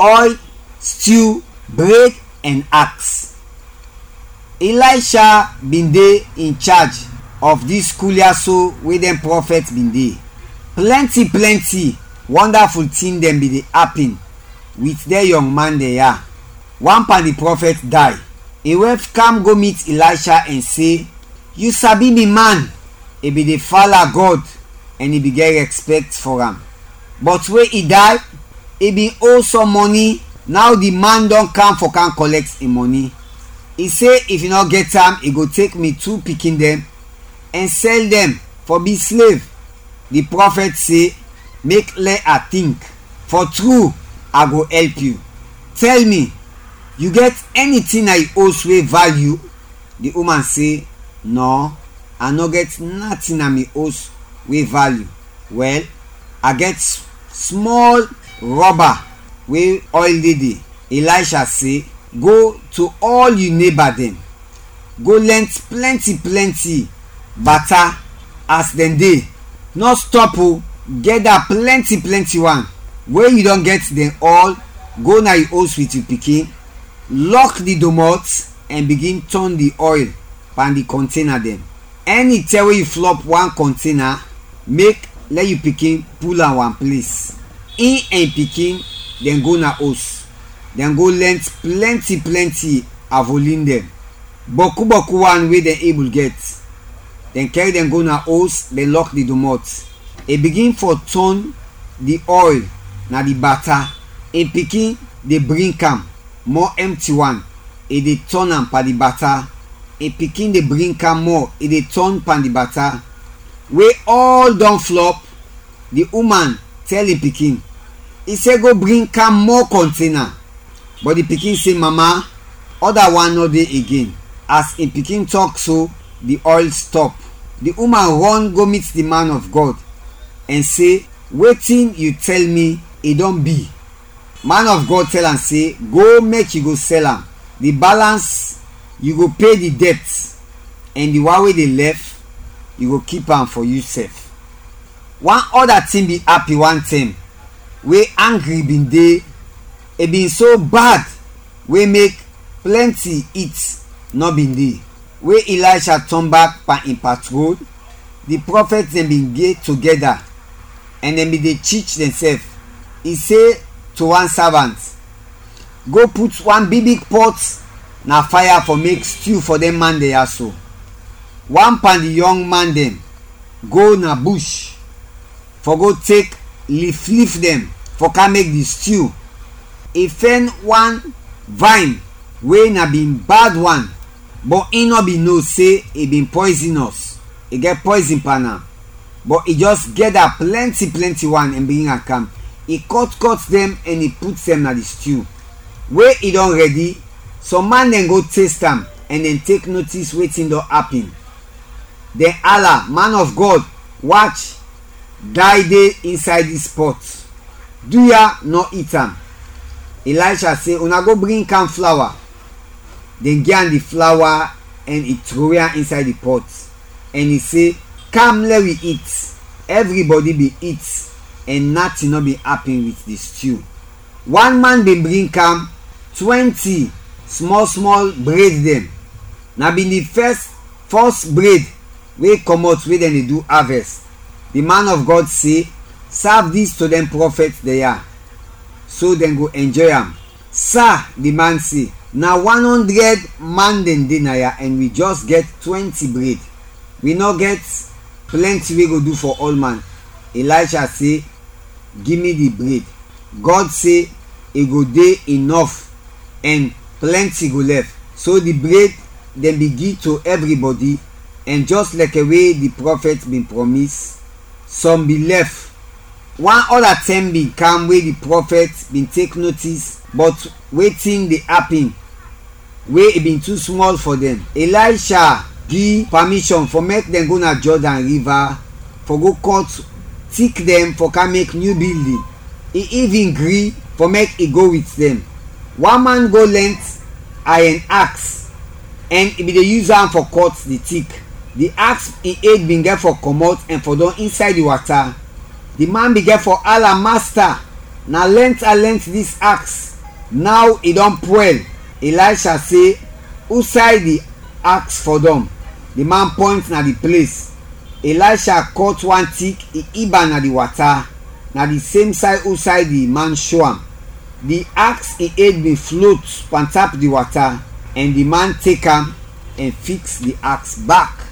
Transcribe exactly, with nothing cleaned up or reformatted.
oil, stew, bred, ɛn aks. Ilaysha bin de in chaj of dis skul ya so we dɛn prɔfɛt bin de. Plɛnti plɛnti wɔndaful tin dɛn bin de apin wit dɛn yɔng man dɛn ya. Wan pan di prɔfɛt day. In wɛf kam go mit Ilaysha ɛn se, "Yu sabi mi man, i bin de fala Gɔd ɛn i bin gɛt rɛspɛkt fɔ am. Bɔt we i day, i bin owe sɔm mɔni, naw di man dɔn kam fɔ kam kɔlɛkt in mɔni. I se if i nɔ gɛt am, i go tek mi tu pikin dɛn ɛn sɛl dɛn fɔ bi slev." Di prɔfɛt se, "Mek lɛ a tink, fɔ tru a go ɛlp yu. Tɛl mi, yu gɛt ɛni tin na yu os we valyu?" Di uman se, "Nɔ, a nɔ gɛt natin na mi os we valyu. Wɛl, a gɛt s-, smɔl rɔba we ɔyl de de." Ilaysha se, "Go to ɔl yu neba dɛn, go lɛnt plɛnti plɛnti bata as dɛn de. Nɔ stɔp o, gɛda plɛnti plɛnti wan. We yu dɔn gɛt dɛn ɔl, go na yu os wit yu pikin, lɔk di domɔt ɛn bigin tɔn di ɔyl pan di kɔntena dɛn. Ɛni tɛm we yu flɔp wan kɔntena, mek lɛ yu pikin pul am wan ples. In ɛn in pikin dɛn go na os, dɛn go lɛnt plɛnti plɛnti avolin dɛn, bɔku bɔku wan we dɛn ebul gɛt. Dɛn kɛr dɛn go na os, dɛn lɔk di domɔt. I bigin fɔ tɔn di ɔyl na di bata, in pikin de bring am mɔ ɛmti wan, i de tɔn am pan di bata, in pikin de bring am mɔ, i de tɔn pan di bata. We ɔl dɔn flɔp, di uman tɛl in pikin, i se, 'Go bring am mɔ kɔntena.' Bɔt di pikin se, 'Mama, ɔda wan nɔ de igen.' As in pikin tɔk so, di ɔyl stɔp. Di uman rɔn go mit di man of Gɔd ɛn se, 'Wetin yu tɛl mi, i dɔn bi.' Man of Gɔd tɛl am se, 'Go mek yu go sɛl am. Di balans, yu go pe di dɛt, ɛn di wan we de lɛf, yu go kip am fɔ yusɛf.'" Wan ɔda tin bin apin wan tɛm we angri bin de, i bin so bad we mek plɛnti it nɔ bin de. We Ilaysha tɔn bak pan in patrol, di prɔfɛt dɛn bin de togɛda ɛn dɛn bin de chich dɛnsɛf. I se to wan savant, "Go put wan bigbig pɔt na faya fɔ mek stiu fɔ dɛn man dɛn ya so." Wan pan di yɔng man dɛn go na bush fɔ go tek liflif dɛn fɔ kam mek di stiu. I fɛn wan vayn we na bin bad wan, bɔt in nɔ bin no se i bin pɔyzinɔs, i gɛt pɔyzin pan am. Bɔt i jɛs gɛda plɛnti plɛnti wan ɛn bring am kam. I kɔt kɔt dɛn ɛn i put dɛn na di stiu. We i dɔn rɛdi, sɔm man dɛn go test am ɛn dɛn tek notis wetin dɔn apin. Dɛn ala, "Man of Gɔd, wach, day de insay dis pɔt. Duya nɔ it am." Ilaysha se, "Una go bring kam flawa." Dɛn gi am di flawa ɛn i trowe am insay di pɔt, ɛn i se, "Kam, lɛ wi it." Ɛvribɔdi bin it, ɛn natin nɔ bin apin wit di stiu. Wan man bin bring kam twɛnti smɔl smɔl bred dɛn. Na bin di fɛs, fɔs bred we kɔmɔt we dɛn de du avɛst. Di man of Gɔd se, "Sav dis to dɛn prɔfɛt dɛn ya, so dɛn go ɛnjɔy am." "Sa," di man se, "na wan ɔndrɛd man dɛn de naya ɛn wi jɛs gɛt twɛnti bred. Wi nɔ gɛt plɛnti we go du fɔ ɔlman." Ilaysha se, "Gi mi di bred. Gɔd se i go de inɔf ɛn plɛnti go lɛf." So di bred dɛn bin gi to ɛvribɔdi, ɛn jɛs lɛkɛ we di prɔfɛt bin prɔmis, sɔm bin lɛf. Wan ɔda tɛm bin kam we di prɔfɛt bin tek notis bɔt wetin de apin, we i bin tu smɔl fɔ dɛn. Ilaysha gi pamishɔn fɔ mek dɛn go na Jɔdan Riva fɔ go kɔt tik dɛn fɔ kam mek nyu bildin. I ivin gri fɔ mek i go wit dɛn. Wan man go lɛnt ayɛn aks ɛn i bin de yus am fɔ kɔt di tik. Di aks in ed bin gɛt fɔ kɔmɔt ɛn fɔdɔm insay di wata. Di man bin gɛt fɔ ala, "Masta, na lɛnt a lɛnt dis aks, Naw i dɔn pwɛl. Elisha se, "Usay di aks fɔdɔm?" Di man pɔynt na di ples. Elisha kɔt wan tik, i ib am na di wata, na di sem say usay di man sho am. Di aks in ed bin flot pantap di wata, ɛn di man tek am ɛn fiks di aks bak.